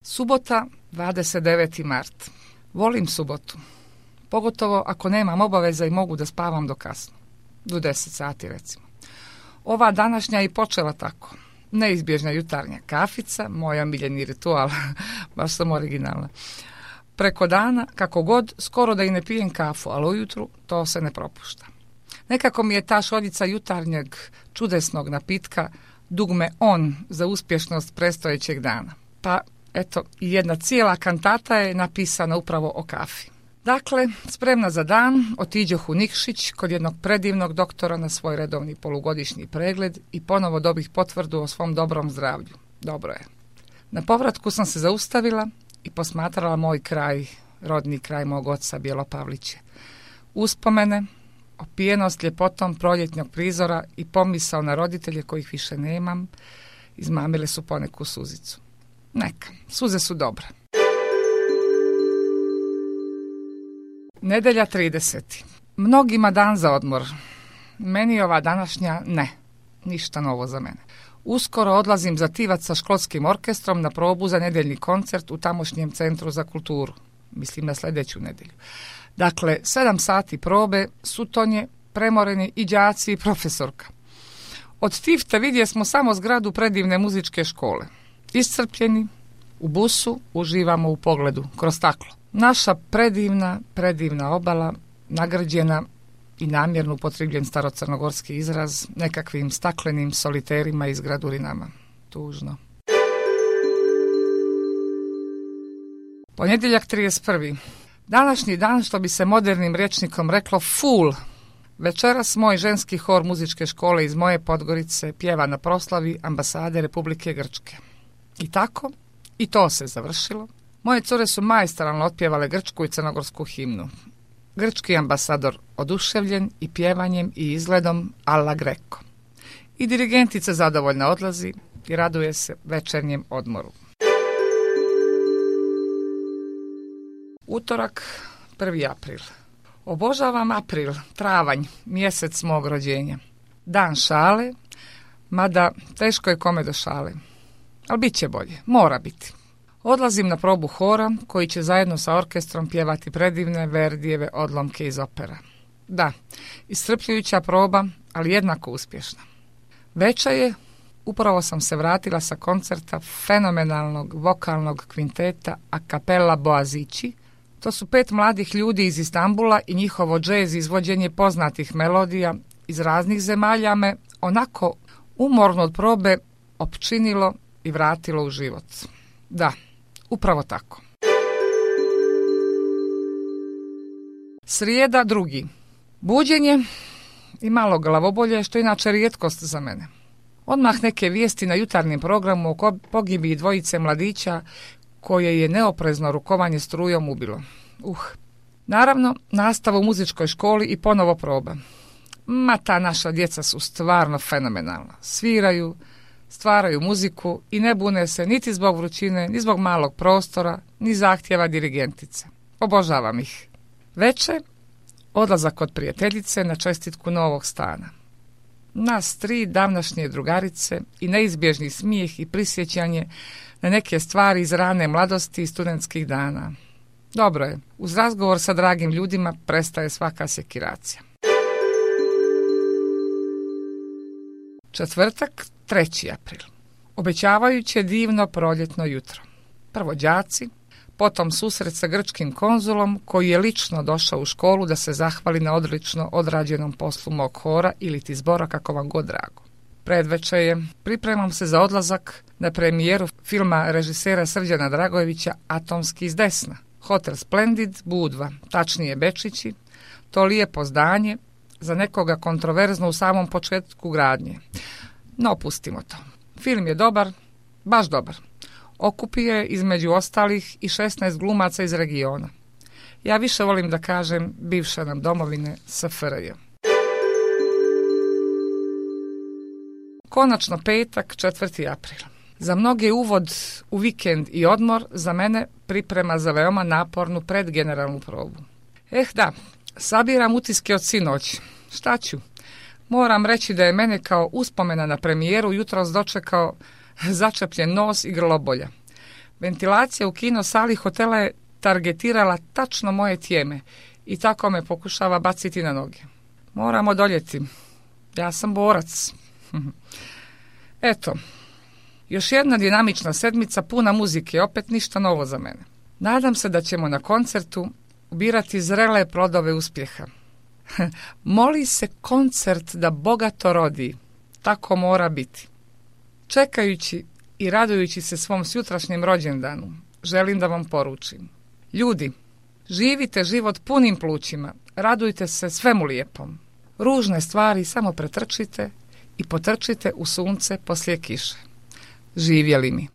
Subota, 29. mart. Volim subotu. Pogotovo ako nemam obaveza i mogu da spavam do kasno. Do 10 sati recimo. Ova današnja i počela tako. Neizbježna jutarnja kafica, moj omiljeni ritual, baš sam originalna. Preko dana, kako god, skoro da i ne pijem kafu, ali ujutru to se ne propušta. Nekako mi je ta šoljica jutarnjeg čudesnog napitka dugme on za uspješnost predstojećeg dana. Pa, eto, i jedna cijela kantata je napisana upravo o kafi. Dakle, spremna za dan, otiđoh u Nikšić kod jednog predivnog doktora na svoj redovni polugodišnji pregled i ponovo dobih potvrdu o svom dobrom zdravlju. Dobro je. Na povratku sam se zaustavila i posmatrala moj kraj, rodni kraj mog oca Bjelopavliće. Uspomene, opijenost ljepotom proljetnog prizora i pomisao na roditelje kojih više nemam, izmamile su poneku suzicu. Neka, suze su dobre. Nedelja 30. Mnogima dan za odmor. Meni ova današnja ne. Ništa novo za mene. Uskoro odlazim za Tivac sa školskim orkestrom na probu za nedeljni koncert u tamošnjem centru za kulturu. Mislim na sljedeću nedjelju. Dakle, 7 sati probe, sutonje, premoreni i đaci i profesorka. Od Tivta vidje smo samo zgradu predivne muzičke škole. Iscrpljeni, u busu uživamo u pogledu kroz staklo. Naša predivna obala, nagrđena i namjerno upotrebljen starocrnogorski izraz, nekakvim staklenim soliterima i zgradurinama. Tužno. Ponedjeljak 31. Današnji dan, što bi se modernim rječnikom reklo, full. Večeras moj ženski hor muzičke škole iz moje Podgorice pjeva na proslavi ambasade Republike Grčke. I tako, i to se završilo. Moje cure su majstorno otpjevale grčku i crnogorsku himnu. Grčki ambasador oduševljen i pjevanjem i izgledom alla Greco. I dirigentica zadovoljna odlazi i raduje se večernjem odmoru. Utorak, 1. april. Obožavam april, travanj, mjesec mog rođenja. Dan šale, mada teško je kome do šale. Ali bit će bolje, mora biti. Odlazim na probu hora koji će zajedno sa orkestrom pjevati predivne Verdijeve odlomke iz opera. Da, iscrpljujuća proba, ali jednako uspješna. Veća je, upravo sam se vratila sa koncerta fenomenalnog vokalnog kvinteta a cappella Boazici. To su 5 mladih ljudi iz Istambula i njihovo džez izvođenje poznatih melodija iz raznih zemalja me onako umorno od probe opčinilo i vratilo u život. Da, upravo tako. Srijeda 2. Buđenje i malo glavobolje, što je inače rijetkost za mene. Odmah neke vijesti na jutarnjem programu o pogibiji 2 mladića koje je neoprezno rukovanje strujom ubilo. Naravno, nastava u muzičkoj školi i ponovo proba. Ma ta naša djeca su stvarno fenomenalna. Sviraju, stvaraju muziku i ne bune se niti zbog vrućine, ni zbog malog prostora, ni zahtjeva dirigentice. Obožavam ih. Veče, odlazak kod prijateljice na čestitku novog stana. Nas 3 davnašnje drugarice i neizbježni smijeh i prisjećanje na neke stvari iz rane mladosti i studentskih dana. Dobro je, uz razgovor sa dragim ljudima prestaje svaka sekiracija. Četvrtak, 3. april. Obećavajuće divno proljetno jutro. Prvo đaci, potom susret sa grčkim konzulom koji je lično došao u školu da se zahvali na odlično odrađenom poslu mog hora ili ti zbora, kako vam god drago. Predvečer je, pripremam se za odlazak na premijeru filma režisera Srđana Dragojevića Atomski iz desna. Hotel Splendid, Budva, tačnije Bečići, to lijepo zdanje, za nekoga kontroverzno u samom početku gradnje. No, pustimo to. Film je dobar, baš dobar. Okupio je između ostalih i 16 glumaca iz regiona. Ja više volim da kažem bivše nam domovine SFRJ. Konačno petak, 4. april. Za mnoge uvod u vikend i odmor, za mene priprema za veoma napornu predgeneralnu probu. Da, sabiram utiske od sinoć. Šta ću? Moram reći da je mene kao uspomena na premijeru jutros dočekao začepljen nos i grlobolja. Ventilacija u kino sali hotela je targetirala tačno moje tijeme i tako me pokušava baciti na noge. Moram odoljeti. Ja sam borac. Eto, još jedna dinamična sedmica puna muzike, opet ništa novo za mene. Nadam se da ćemo na koncertu ubirati zrele plodove uspjeha. Moli se koncert da bogato rodi, tako mora biti. Čekajući i radujući se svom sutrašnjem rođendanu, želim da vam poručim. Ljudi, živite život punim plućima, radujte se svemu lijepom. Ružne stvari samo pretrčite i potrčite u sunce poslije kiše. Živjeli mi.